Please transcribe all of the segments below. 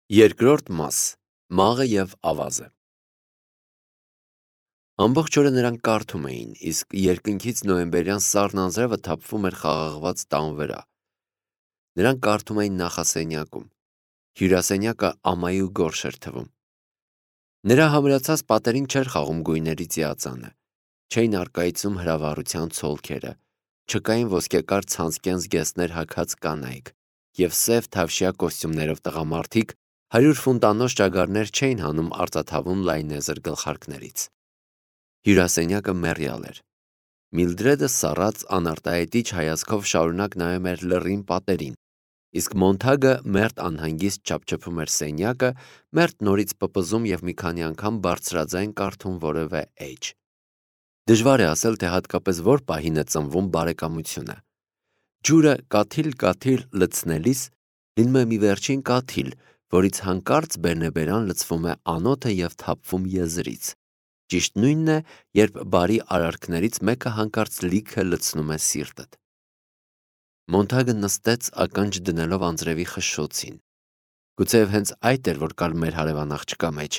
Երկրորդ մաս. Մաղը և ավազը։ Ամբողջ օրը նրանք կարդում էին, իսկ երկնքից նոյեմբերյան սառն անձրևը թափվում էր խաղաղված տան վրա։ Նրանք կարդում էին նախասենյակում։ Հյուրասենյակը ամայի ու գորշ էր թվում։ Նրա համրացած պատերին չէր խաղում գույների ծիածանը, չէին առկայծում հրավառության ցոլքերը, չկային ոսկեկար ցանցկեն զգեստներ հագած կանայք և սև թավշյա կոստյումներով տղամարդիկ 100 ֆունտանոց ճագարներ չէին հանում արծաթավուն լայնեզր գլխարկներից։ Հյուրասենյակը մեռյալ էր։ Միլդրեդը սառած անարտահայտիչ հայացքով շարունակ նայում էր լռին պատերին, իսկ Մոնթագը մերթ անհանգիստ չափչփում էր սենյակը, մերթ նորից պպզում և մի քանի անգամ բարձրաձայն կարդում որևէ էջ։ Դժվար է ասել, թե հատկապես որ պահին է ծնվում բարեկամությունը։ Ջուրը կաթիլ-կաթիլ լցնելիս լինում է մի վերջին կաթիլ, որից հանկարծ բերնեբերան լցվում է անոթը և թափվում եզրից։ Ճիշտ նույնն է, երբ բարի արարքներից մեկը հանկարծ լիքը լցնում է սիրտդ։ Մոնթագը նստեց ականջ դնելով անձրևի խշշոցին։ Գուցեև հենց այդ էր, որ կար մեր հարևան աղջկա մեջ։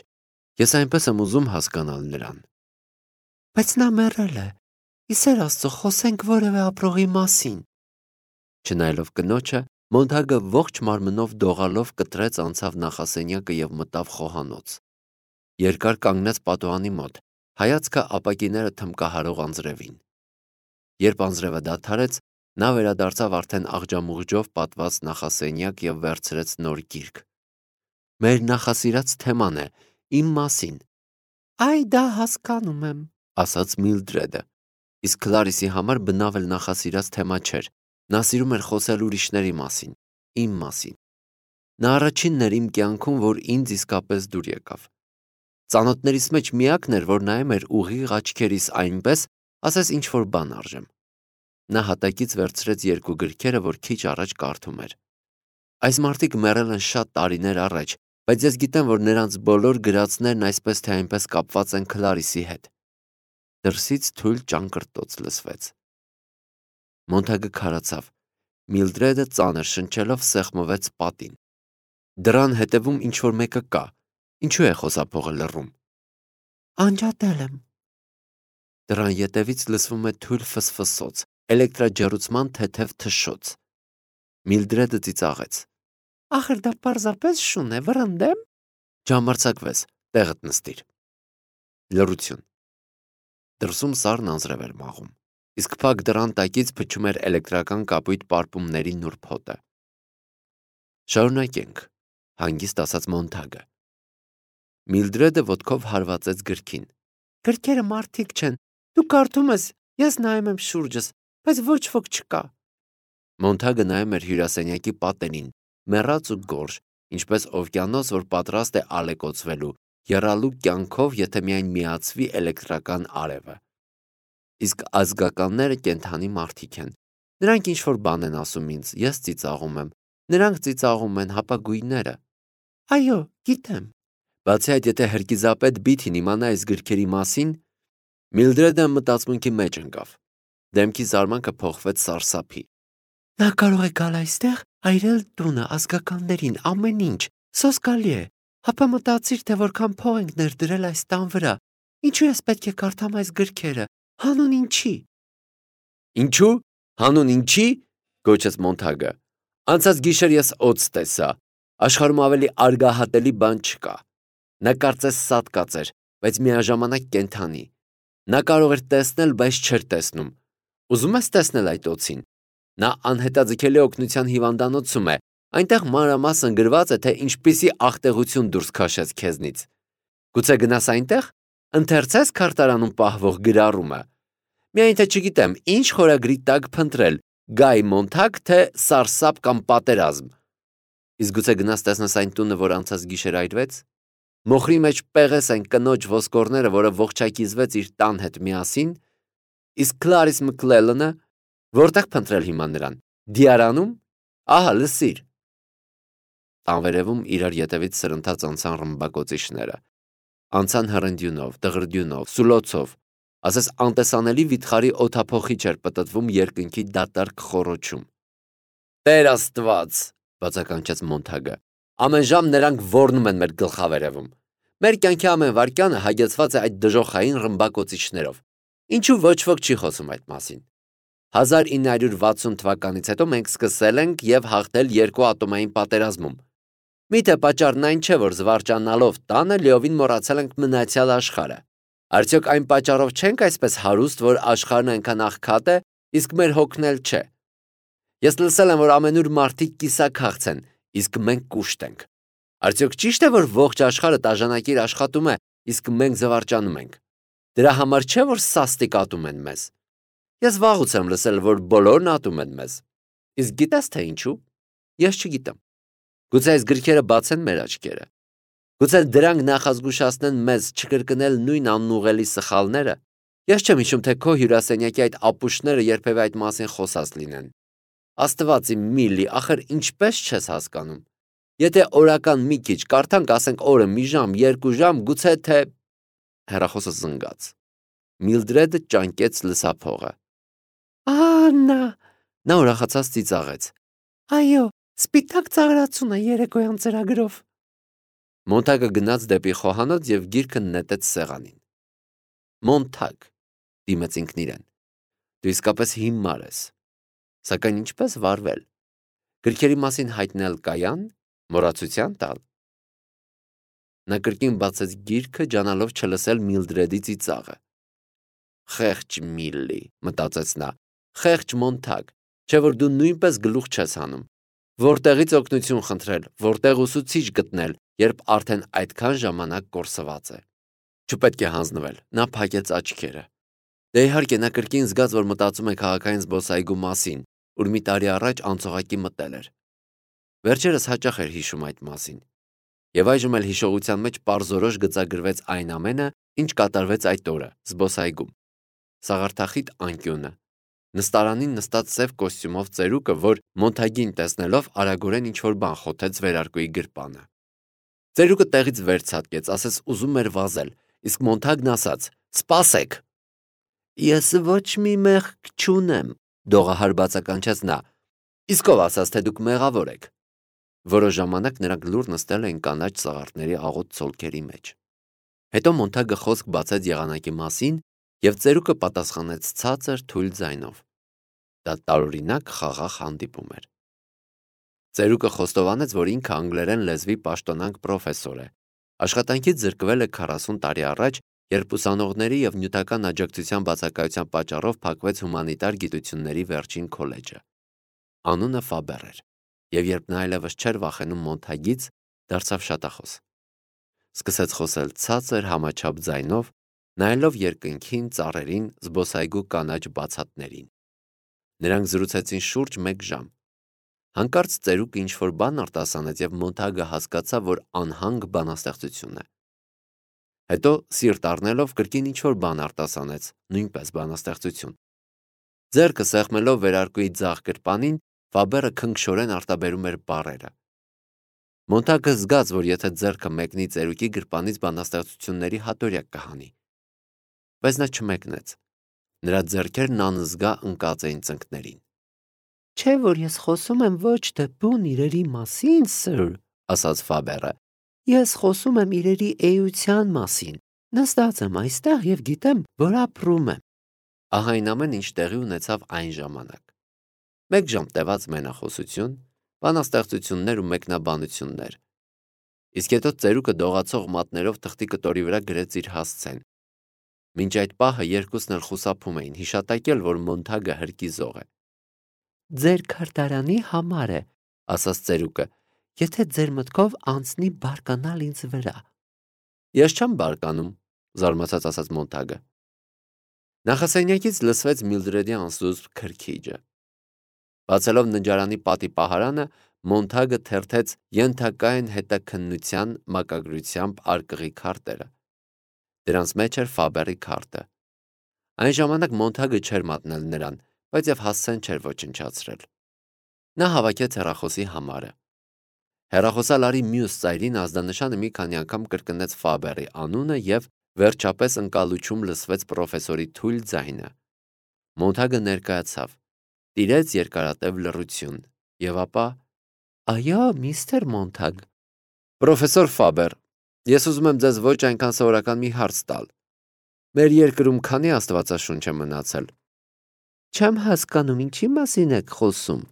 Ես այնպես եմ ուզում հասկանալ նրան։ Բայց նա մեռել է։ Ի սեր Աստծո, խոսենք որևէ ապրողի մասին։ Չնայելով կնոջը, Մոնթագը ողջ մարմնով դողալով կտրեց անցավ նախասենյակը և մտավ խոհանոց։ Երկար կանգնեց պատուհանի մոտ, հայացքը ապակիները թմկահարող անձրևին։ Երբ անձրևը դադարեց, նա վերադարձավ արդեն աղջամուղջով պատված նախասենյակ և վերցրեց նոր գիրք։ Մեր նախասիրած թեման է, իմ մասին։ Այ դա հասկանում եմ, ասաց Միլդրեդը։ Իսկ Քլարիսի համար բնավ էլ նախասիրած թեմա չէր։ Նա սիրում էր խոսել ուրիշների մասին, իմ մասին։ Նա առաջինն էր իմ կյանքում, որ ինձ իսկապես դուր եկավ։ Ծանոթներիս մեջ միակն էր, որ նայում էր ուղիղ աչքերիս այնպես, ասես ինչ-որ բան արժեմ։ Նա հատակից վերցրեց երկու գրքերը, որ քիչ առաջ կարդում էր։ Այս մարդիկ մեռել են շատ տարիներ առաջ, բայց ես գիտեմ, որ նրանց բոլոր գրածներն այսպես թե այնպես կապված են Քլարիսի հետ։ Դրսից թույլ ճանկռտոց լսվեց։ Մոնթագը քարացավ։ Միլդրեդը ծանր շնչելով սեղմվեց պատին։ Դռան հետևում ինչ-որ մեկը կա։ Ինչու է խոսափողը լռում։ Անջատել եմ։ Դռան ետևից լսվում է թույլ ֆսֆսոց, էլեկտրաջեռուցման թեթև թշշոց։ Միլդրեդը ծիծաղեց։ Ախր դա պարզապես շուն է, վռնդեմ։ Ջամարցակվես, տեղդ նստիր։ Լռություն։ Դրսում սառն անձրև էր մաղում, իսկ փակ դռան տակից փչում էր էլեկտրական կապույտ պարպումների նուրբ հոտը։ Շարունակենք, հանգիստ ասաց Մոնթագը։ Միլդրեդը ոտքով հարվածեց գրքին։ Գրքերը մարդիկ չեն։ Դու կարդում ես, ես նայում եմ շուրջս, բայց ոչ ոք չկա։ Մոնթագը նայում էր հյուրասենյակի պատերին, մեռած ու գորշ, ինչպես օվկիանոս, որ պատրաստ է ալեկոծվելու, եռալու կյանքով, եթե միայն միացվի էլեկտրական արևը։ Իսկ ազգականները կենդանի մարդիկ են։ Նրանք ինչ-որ բան են ասում ինձ, ես ծիծաղում եմ։ Նրանք ծիծաղում են, հապագույնները։ Այո, գիտեմ։ Բացի այդ, եթե հրկիզապետ Բիթին իմանա այս գրքերի մասին, Միլդրեդը մտածմունքի մեջ ընկավ։ Դեմքի զարմանքը փոխվեց սարսափի։ Նա կարող է գալ այստեղ, այրել տունը, ազգականներին, ամեն ինչ, սոսկալի է։ Հապա մտածիր, թե որքան փող ենք ներդրել այս տան վրա։ Ինչու ես պետք է կարդամ այս գրքերը։ Հանուն ինչի։ Ինչու։ Հանուն ինչի։ Գոչեց Մոնթագը։ Անցած գիշեր ես օձ տեսա։ Աշխարհում ավելի արգահատելի բան չկա։ Նա կարծես սատկած էր, բայց միաժամանակ կենդանի։ Նա կարող էր տեսնել, բայց չէր տեսնում։ Ուզում ես տեսնել այդ օձին։ Նա անհետաձգելի օգնության հիվանդանոցում է։ Այնտեղ մանրամասն գրված է, թե ինչպիսի աղտեղություն դուրս քաշեց քեզնից։ Գուցե գնաս այնտեղ, ընթերցես քարտարանում պահվող գրառումը։ Միայն թե չգիտեմ, ինչ խորագրի տակ փնտրել՝ Գայ Մոնթագ, թե սարսափ կամ պատերազմ։ Իսկ գուցե գնաս տեսնես այն տունը, որ անցած գիշեր այրվեց։ Մոխրի մեջ պեղես են կնոջ ոսկորները, որը ողջակիզվեց իր տան հետ միասին։ Իսկ Քլարիս Մքլելանը որտեղ փնտրել հիմա նրան։ Դիարանում։ Ահա լսիր։ Տանվերևում իրար ետևից սրընթաց անցան ռմբակոծիչները։ Անցան հռնդյունով, դղրդյունով, սուլոցով, ասես անտեսանելի վիթխարի օդափոխիչ էր պտտվում երկնքի դատարկ խոռոչում։ Տեր Աստված, բացականչեց Մոնթագը, Ամեն ժամ նրանք ոռնում են մեր գլխավերևում։ Մեր կյանքի ամեն վայրկյանը հագեցված է այդ դժոխային ռմբակոծիչներով։ Ինչու ոչ ոք չի խոսում այդ մասին։ 1960 թվականից հետո մենք սկսել ենք եւ հաղթել երկու ատոմային պատերազմում։ Միթե պատճառն այն չէ, որ զվարճանալով տանը լիովին մոռացել ենք մնացյալ աշխարհը։ Արդյոք այն պատճառով չենք այսպես հարուստ, որ աշխարհն այնքան աղքատ է, իսկ մեր հոգն էլ չէ։ Ես լսել եմ, որ ամենուր մարդիկ կիսաքաղց են, իսկ մենք կուշտ ենք։ Արդյոք ճիշտ է, որ ողջ աշխարհը տաժանակիր աշխատում է, իսկ մենք զվարճանում ենք։ Դրա համար չէ, որ սաստիկ ատում են մեզ։ Ես վաղուց եմ լսել, որ բոլորն ատում են մեզ։ Իսկ գիտես թե ինչու։ Ես չգիտեմ։ Գուցե այս գրքերը բացեն մեր աչքերը։ Գուցե դրանք նախազգուշացնեն մեզ չկրկնել նույն անուղելի սխալները։ Ես չեմ հիշում, թե քո հյուրասենյակի այդ ապուշները երբևէ այդ մասին խոսած լինեն։ Աստված իմ Միլի, ախր ինչպես չես հասկանում։ Եթե օրական մի քիչ կարդանք, ասենք օրը մի ժամ, 2 ժամ, գուցե թե… Հեռախոսը զնգաց։ Միլդրեդը ճանկեց լսափողը։ Աննա, նա ուրախացած ծիծաղեց։ Այո, սպիտակ ծաղրացուն է երեկոյան ծրագրով։ Մոնթագը գնաց դեպի խոհանոց եւ գիրքը նետեց սեղանին։ Մոնթագ, դիմեց ինքն իրեն։ Դու իսկապես հիմար ես։ Սակայն ինչպես վարվել։ Գրքերի մասին հայտնել կայան, մոռացության տալ։ Նա կրկին բացեց գիրքը, ջանալով չլսել Միլդրեդի ծիծաղը։ Խեղճ Միլլի, մտածեց նա, խեղճ Մոնթագ, չէ որ դու նույնպես գլուխ չես հանում։ Որտեղից օգնություն խնդրել, որտեղ ուսուցիչ գտնել, երբ արդեն այդքան ժամանակ կորսված է։ Չպետք է հանձնվել, նա փակեց աչքերը։ Դե իհարկե նա կրկին զգաց, որ մտածում է քաղաքային զբոսայգու մասին, ուր մի տարի առաջ անցողակի մտել էր։ Վերջերս հաճախ էր հիշում այդ մասին։ Եվ այժմ էլ հիշողության մեջ պարզորոշ գծագրվեց այն ամենը, ինչ կատարվեց այդ օրը, զբոսայգում։ Սաղարթախիտ անկյունը, նստարանին նստած սև կոստյումով ծերուկը, որ Մոնթագին տեսնելով արագորեն ինչ-որ բան խոթեց վերարկուի գրպանը։ Ծերուկը տեղից վեր ցատկեց, ասես ուզում էր վազել, իսկ Մոնթագն ասաց. «Սպասեք»։ Ես ոչ մի մեղք չունեմ, դողահար բացականչեց նա։ Իսկ ով ասաց, թե դուք մեղավոր եք։ Որոշ ժամանակ նրանք լուռ նստել էին կանաչ սաղարթների աղոտ ցոլքերի մեջ։ Հետո Մոնթագը խոսք բացեց եղանակի մասին, եւ ծերուկը պատասխանեց ցածր թույլ ձայնով։ Դա տարօրինակ խաղաղ հանդիպում էր։ Ծերուկը խոստովանեց, որ ինքը անգլերեն լեզվի պաշտոնանկ պրոֆեսոր է։ Աշխատանքից զրկվել է 40 տարի առաջ, երբ ուսանողների եւ նյութական աջակցության բացակայության պատճառով փակվեց հումանիտար գիտությունների վերջին քոլեջը։ Անունը Ֆաբեր էր, եւ երբ նա այլևս չէր վախենում Մոնթագից, դարձավ շատախոս։ Սկսեց խոսել ցածր համաչափ ձայնով, նայելով երկնքին, ծառերին, զբոսայգու կանաչ բացատներին։ Նրանք զրուցեցին շուրջ 1 ժամ։ Հանկարծ ծերուկը ինչ-որ բան արտասանեց եւ Մոնթագը հասկացավ, որ անհանգ բանաստեղծություն է։ Հետո սիրտ առնելով կրկին ինչ-որ բան արտասանեց, նույնպես բանաստեղծություն։ Ձեռքը սեղմելով վերարկուի ձախ գրպանին, Ֆաբերը քնքշորեն արտաբերում էր բառերը։ Մոնթագը զգաց, որ եթե ձեռքը մեկնի ծերուկի գրպանից բանաստեղծությունների հատորյակ կհանի։ Բայց նա չմեկնեց։ Նրա ձեռքերն անզգա ընկած էին ծնկներին։ Չէ՞ որ ես խոսում եմ ոչ թե բուն իրերի մասին, սըր, ասաց Ֆաբերը։ Ես խոսում եմ իրերի էության մասին։ Նստած եմ այստեղ եւ գիտեմ, որ ապրում եմ։ Ահա այն ամեն ինչ տեղի ունեցավ այն ժամանակ։ 1 ժամ տևած մենախոսություն, բանաստեղծություններ ու մեկնաբանություններ։ Իսկ հետո ծերուկը դողացող մատներով թղթի կտորի վրա գրեց իր հասցեն։ Մինչ այդ պահը երկուսն էլ խուսափում էին, հիշատակել, որ Մոնթագը հրկիզող է։ Ձեր քարտարանի համար է, ասաց ծերուկը, եթե ձեր մտքով անցնի բարկանալ ինձ վրա։ Ես չեմ բարկանում, զարմացած ասաց Մոնթագը։ Նախասենյակից լսվեց Միլդրեդի անսուսպ քրքիջը։ Բացելով ննջարանի պատի պահարանը, Մոնթագը թերթեց ենթակային հետաքննության մակագրությամբ արկղի քարտերը։ Դրանց մեջ էր Ֆաբերի քարտը։ Այն ժամանակ Մոնթագը չէր մատնել նրան, բայց եւ հասցեն չէր ոչնչացրել։ Նա հավաքեց հեռախոսի համարը։ Հեռախոսալարի մյուս ծայրին ազդանշանը մի քանի անգամ կրկնեց Ֆաբերի անունը եւ վերջապես ընկալուչում լսվեց պրոֆեսորի թույլ ձայնը։ Մոնթագը ներկայացավ, տիրեց երկարատև լռություն, եւ ապա. Այո, միստր Մոնթագ, Պրոֆեսոր Ֆաբեր, ես ուզում եմ ձեզ ոչ այնքան սովորական մի հարց տալ։ Մեր երկրում քանի աստվածաշունչ է մնացել։ Չեմ հասկանում, ինչի մասին եք խոսում։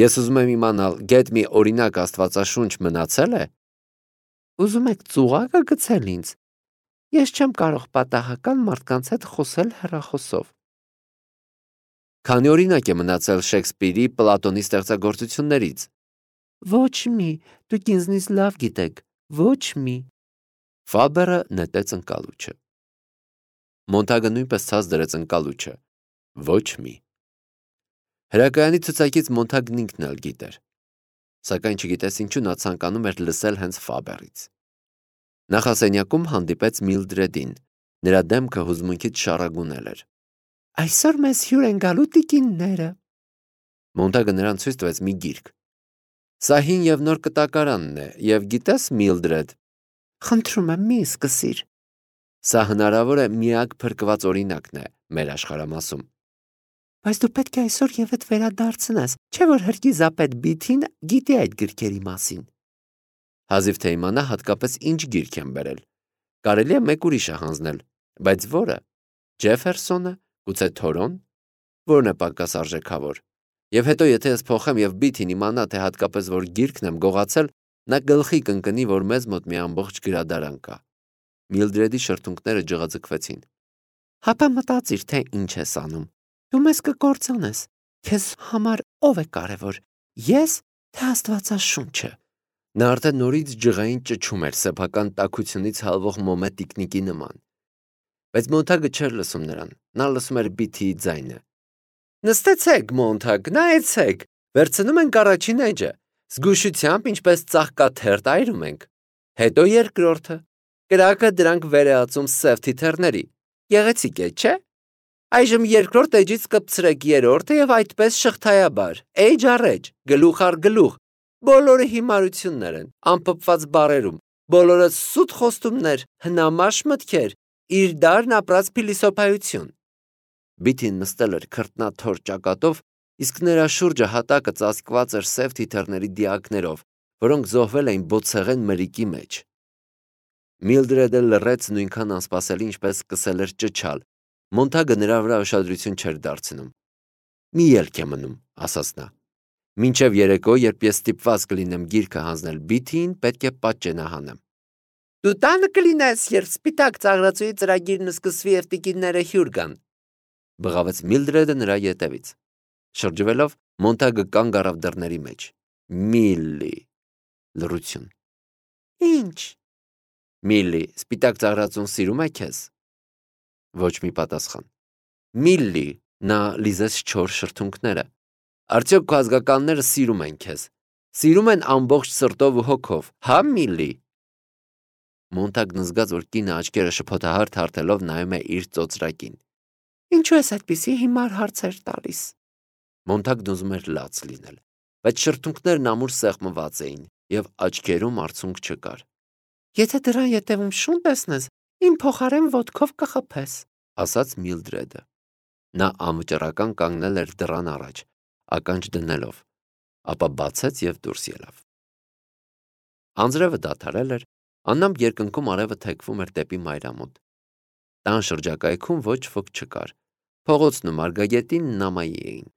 Ես ուզում եմ իմանալ, գեթ մի օրինակ աստվածաշունչ մնացել է։ Ուզում եք ծուղակը գցել ինձ։ Ես չեմ կարող պատահական մարդկանց հետ խոսել հեռախոսով։ Քանի օրինակ է մնացել Շեքսպիրի, Պլատոնի ստեղծագործություններից։ Ոչ մի, դուք ինձնից լավ գիտեք, ոչ մի։ Ֆաբերը նետեց ընկալուչը։ Մոնտագը նույնպես ցած դրեց ընկալուչը։ Ոչ մի։ Հրակայանի ցուցակից Մոնտագն ինքն էլ գիտեր, սակայն չգիտես ինչու նա ցանկանում էր լսել հենց Ֆաբերից։ Նախասենյակում հանդիպեց Միլդրեդին, նրա դեմքը հուզմունքից շառագունել էր։ Այսօր մեզ հյուր են գալու տիկինները։ Մոնտագը նրան ցույց տվեց մի գիրք։ Սա հին եւ նոր կտակարանն է, եւ գիտես, Միլդրեդ, խնդրում եմ մի սկսիր։ Սա հնարավոր է միակ փրկված օրինակն է մեր աշխարհամասում։ Բայց դու պետք է այսօր եւեթ վերադարձնես, չէ՞ որ հրկիզապետ Բիթին գիտի այդ գրքերի մասին։ Հազիվ թե իմանա հատկապես ինչ գիրք են բերել։ Կարելի է մեկ ուրիշը հանձնել, բայց որը։ Ջեֆերսոնը, գուցե Թորոն, որն է պակաս արժեքավոր։ Եվ հետո եթե ես փոխեմ եւ Բիթին իմանա, թե հատկապես որ գիրքն եմ գողացել, նա գլխի կընկնի, որ մեզ մոտ մի ամբողջ գրադարան կա։ Միլդրեդի շրթունքները ջղաձգվեցին։ Հապա մտածիր, թե ինչ ես անում։ Դու մեզ կկործանես։ Քեզ համար ով է կարևոր։ Ես, թե Աստվածաշունչը։ Նա արդեն նորից ջղային ճչում էր սեփական տաքությունից հալվող մոմե տիկնիկի նման։ Բայց Մոնտագը չէր լսում նրան։ Նա լսում էր Բիթիի ձայնը։ Նստեցեք, Մոնտագ, նայեցեք։ Վերցնում ենք առաջին էջը։ Զգուշությամբ, ինչպես ծաղկաթերթ այրում ենք։ Հետո երկրորդը։ Կրակը դրանք վերեածում սև թիթեռների։ Գեղեցիկ է, չէ՞։ Այժմ երկրորդ էջից կպցրեք երրորդը եւ այդպես շղթայաբար, էջ առ էջ, գլուխ առ գլուխ։ Բոլորը հիմարություններ են, անփոփված բառերում, բոլորը սուտ խոստումներ, հնամաշ մտքեր, իր դարն ապրած փիլիսոփայություն։ Բիթին նստել էր քրտնաթոր ճակատով, իսկ նրա շուրջը հատակը ծածկված էր սև թիթեռների դիակներով, որոնք զոհվել էին բոցեղեն մրիկի մեջ։ Միլդրեդը լռեց նույնքան անսպասելի, ինչպես սկսել էր ճչալ։ Մոնտագը նրա վրա ուշադրություն չէր դարձնում։ Մի ելք է մնում, ասաց նա։ Մինչև երեկո, երբ ես ստիպված կլինեմ գիրքը հանձնել Բիթիին, պետք է պատճենահանեմ։ Դու տանը կլինես, երբ սպիտակ ծաղրածուի ծրագիրն սկսվի եւ տիկինները հյուր գան։ Բղավեց Միլդրեդը նրա ետևից։ Շրջվելով, Մոնտագը կանգ առավ դռների մեջ։ Միլլի։ Լռություն։ Ինչ։ Միլլի, սպիտակ ծաղրածուն սիրում է քեզ։ Ոչ մի պատասխան։ Միլլի, նա լիզեց չոր շրթունքները։ Արդյոք քո ազգականները սիրում են քեզ։ Սիրում են ամբողջ սրտով ու հոգով, հա Միլլի։ Մոնտագն զգաց, որ կինը աչքերը շփոթահար թարթելով նայում է իր ծոծրակին։ Ինչու ես այդպիսի հիմար հարցեր տալիս։ Մոնտագն ուզում էր լաց լինել, բայց շրթունքներն ամուր սեղմված էին եւ աչքերում արցունք չկար։ Եթե դրան ետևում շուն տեսնես, իմ փոխարեն ոտքով կխփես, ասաց Միլդրեդը։ Նա անվճռական կանգնել էր դռան առաջ, ականջ դնելով, ապա բացեց եւ դուրս ելավ։ Անձրևը դադարել էր, աննամբ երկնքում արևը թեքվում էր դեպի մայրամուտ։ Տան շրջակայքում ոչ ոք չկար։ Փողոցն ու Մարգագետին նամայի էին։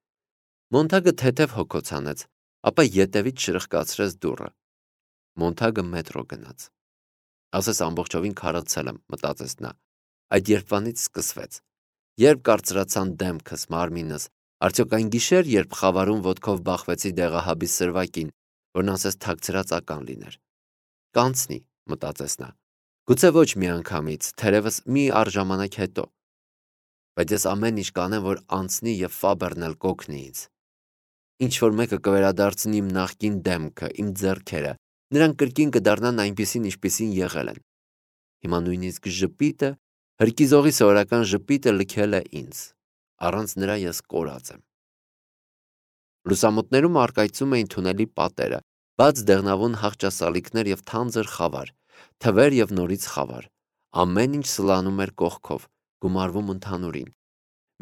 Մոնտագը թեթև հոգոց հանեց, ապա ետևից շրխկացրեց դուռը։ Մոնտագը մետրո գնաց։ Ասես ամբողջովին քարացել եմ, մտածեց նա։ Այդ երբվանից սկսվեց։ Երբ կարծրացան դեմքս, մարմինս, արդյոք այն գիշեր, երբ խավարում ոտքով բախվեցի դեղահաբի սրվակին, որն ասես թաքցրած ական լիներ։ Կանցնի, մտածեց նա։ Գուցե ոչ մի անգամից, թերևս մի առժամանակ հետո։ Բայց ես ամեն ինչ կանեմ, որ անցնի եւ Ֆաբերն էլ կօգնի ինձ։ Ինչ որ մեկը կվերադարձնի իմ նախկին դեմքը, իմ ձեռքերը, նրանք կրկին կդառնան այնպիսին, ինչպիսին եղել են։ Հիմա նույնիսկ ժպիտը, հրկիզողի սովորական ժպիտը լքել է ինձ։ Առանց նրա ես կորած եմ։ Լուսամուտներում առկայծում էին թունելի պատերը, բաց դեղնավուն հաղճասալիկներ եւ թանձր խավար, թվեր եւ նորից խավար։ Ամեն ինչ սլանում էր կողքով, գումարվում ընդհանուրին։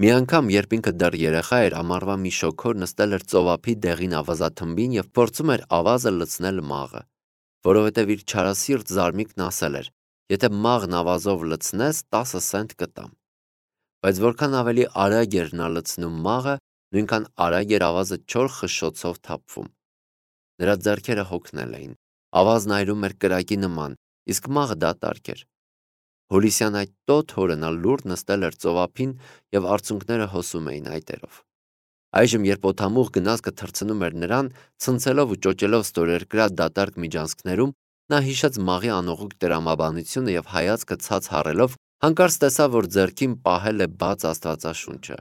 Մի անգամ, երբ ինքը դեռ երեխա էր, ամառվա մի շոգոր նստել էր ծովափի դեղին ավազաթմբին եւ փորձում էր ավազը լցնել մաղը։ որովհետև իր չարասիրտ զարմիկն ասել էր. «Եթե մաղն ավազով լցնես, 10 սենտ կտամ»։ Բայց որքան ավելի արագ էր նա լցնում մաղը, նույնքան արագ էր ավազը չոր խշշոցով թափվում։ Նրա ձեռքերը հոգնել էին, ավազն այրում էր կրակի նման, իսկ մաղը դատարկ էր։ Հուլիսյան այդ տոտ օրը նա լուռ նստել էր ծովափին և արցունքները հոսում էին այտերով։ Այժմ, երբ օդամուղ գնացքը թռցնում էր նրան, ցնցելով ու ճոճելով ստորերկրյա դատարկ միջանցքներում, նա հիշեց մաղի անողուկ տրամաբանությունը և հայացքը ցած հառելով, հանկարծ տեսավ, որ ձեռքին պահել է բաց Աստվածաշունչը։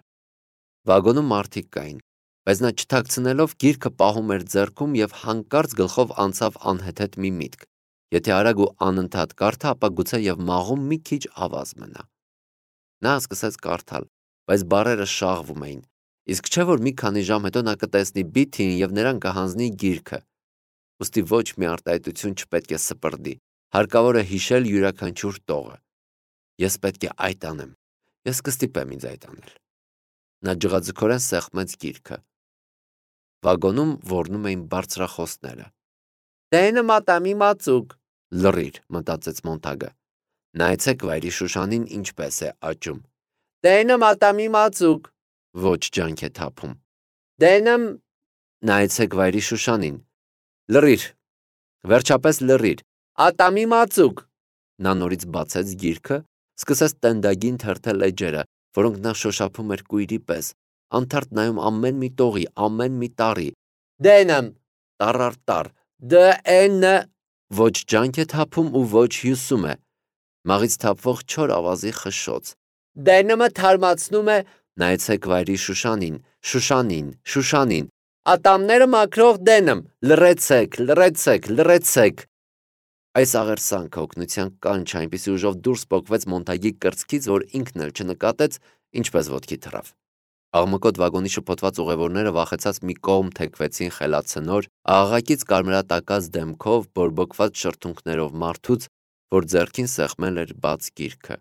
Վագոնում մարդիկ կային, բայց նա չթաքցնելով գիրքը պահում էր ձեռքում և հանկարծ գլխով անցավ անհեթեթ մի միտք. եթե արագ ու անընդհատ կարդա, ապա գուցե և մաղում մի քիչ ավազ մնա։ Նա սկսեց կարդալ, բայց բառերը շաղվում էին, իսկ չէ որ մի քանի ժամ հետո նա կտեսնի Բիթիին և նրան կհանձնի գիրքը։ Ուստի ոչ մի արտահայտություն չպետք է սպրդի, հարկավոր է հիշել յուրաքանչյուր տողը։ Ես պետք է այդ անեմ, ես կստիպեմ ինձ այդ անել։ Նա ջղաձգորեն սեղմեց գիրքը։ Վագոնում ոռնում էին բարձրախոսները։ «Տենը մատամի մածուկ», լռիր, մտածեց Մոնթագը։ «Նայեցեք վայրի Շուշանին ինչպես է աճում»։ «Տենը մատամի մածուկ», ոչ ջանք է թափում։ «Տենը…» Նայեցեք վայրի Շուշանին։ Լռիր, վերջապես լռիր։ «Ատամի մածուկ»։ Նա նորից բացեց գիրքը, սկսեց տենդագին թերթել էջերը, որոնք նա շոշափում էր կույրի պես, անթարթ նայում ամեն մի տողի, ամեն մի տառի։ «Դենըմ», տառ առ տառ, «Դ-Է-Ն», ոչ ջանք է թափում ու ոչ հյուսում է։ Մաղից թափվող չոր ավազի խշշոց։ «Դենըմը թարմացնում է…» Նայեցեք վայրի Շուշանին, Շուշանին, Շուշանին։ «Ատամները մաքրող դենըմ, լռեցեք, լռեցեք, լռեցեք»։ Այս աղերսանքը օգնության կանչ այնպիսի ուժով դուրս պոկվեց Մոնթագի կրծքից, որ ինքն էլ չնկատեց, ինչպես ոտքի թռավ։ Աղմկոտ վագոնի շփոթված ուղևորները վախեցած մի կողմ թեքվեցին խելացնոր, աղաղակից կարմրատակած դեմքով, բորբոքված շրթունքներով մարդուց, որ ձեռքին սեղմել էր բաց գիրքը։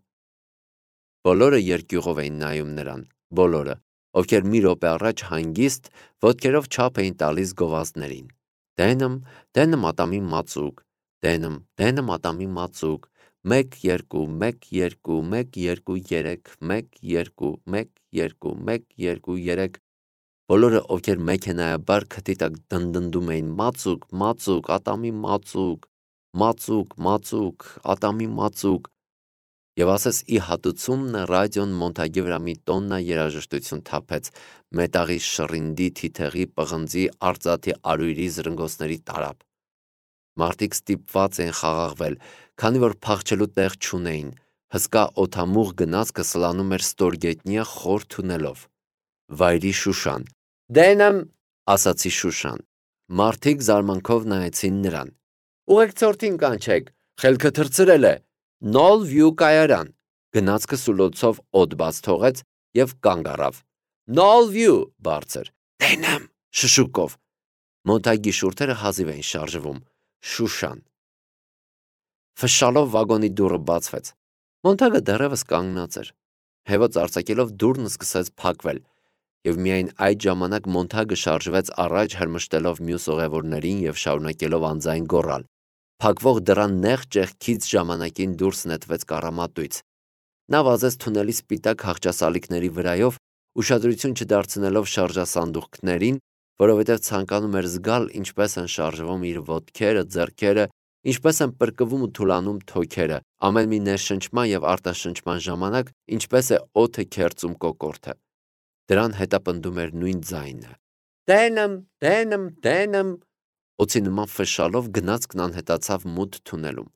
Բոլորը երկյուղով էին նայում նրան, բոլորը, ովքեր մի րոպե առաջ հանգիստ ոտքերով չափ էին տալիս գովազդներին։ Դենըմ, դենը մատամի մածուկ, դենըմ, դենը մատամի մածուկ, 1 2 1 2 1 2 3 1 2 1 2 1 2 3 Բոլորը, ովքեր մեքենայաբար քթի տակ դնդնդում էին մածուկ, մածուկ, ատամի մածուկ, մածուկ, մածուկ, ատամի մածուկ, եւ ասես ի հատուցումն ռադիոն Մոնթագի վրա մի տոննա երաժշտություն թափեց, մետաղի շռինդի, թիթեղի, պղնձի, արծաթի արույրի զրնգոցների տարափ։ Մարդիկ ստիպված էին խաղաղվել, քանի որ փախչելու տեղ չունեին, հսկա օդամուղ գնացքը սլանում էր ստորգետնյա խոր թունելով։ Վայրի Շուշան։ Դենըմ, ասացի Շուշան։ Մարդիկ զարմանքով նայեցին նրան։ Ուղեկցորդին կանչեք, խելքը թռցրել է։ Նոլ Վյու կայարան։ Գնացքը սուլոցով օդ բաց թողեց եւ կանգ առավ։ Նոլ Վյու, բարձր։ Դենըմ, շշուկով։ Մոնթագի շուրթերը հազիվ էին շարժվում։ Շուշան։ Ֆշշալով վագոնի դուռը բացվեց։ Մոնթագը դեռևս կանգնած էր։ Հեվոց արձակելով դուռն սկսեց փակվել, եւ միայն այդ ժամանակ Մոնթագը շարժվեց առաջ, հրմշտելով մյուս ուղևորներին եւ շարունակելով անձայն գոռալ։ Փակվող դռան նեղ ճեղքից ժամանակին դուրս նետվեց կառամատույց։ Նա վազեց թունելի սպիտակ հաղճասալիկների վրայով, ուշադրություն չդարձնելով շարժասանդուղքներին, որովհետև ցանկանում էր զգալ ինչպես են շարժվում իր ոտքերը, ձեռքերը, ինչպես են պրկվում ու թուլանում թոքերը, ամեն մի ներշնչման եւ արտաշնչման ժամանակ ինչպես է օդը քերծում կոկորդը։ Դրան հետապնդում էր նույն ձայնը։ Դենըմ, դենըմ, դենըմ։ Օձի նման ֆշշալով գնացքն անհետացավ մութ թունելում։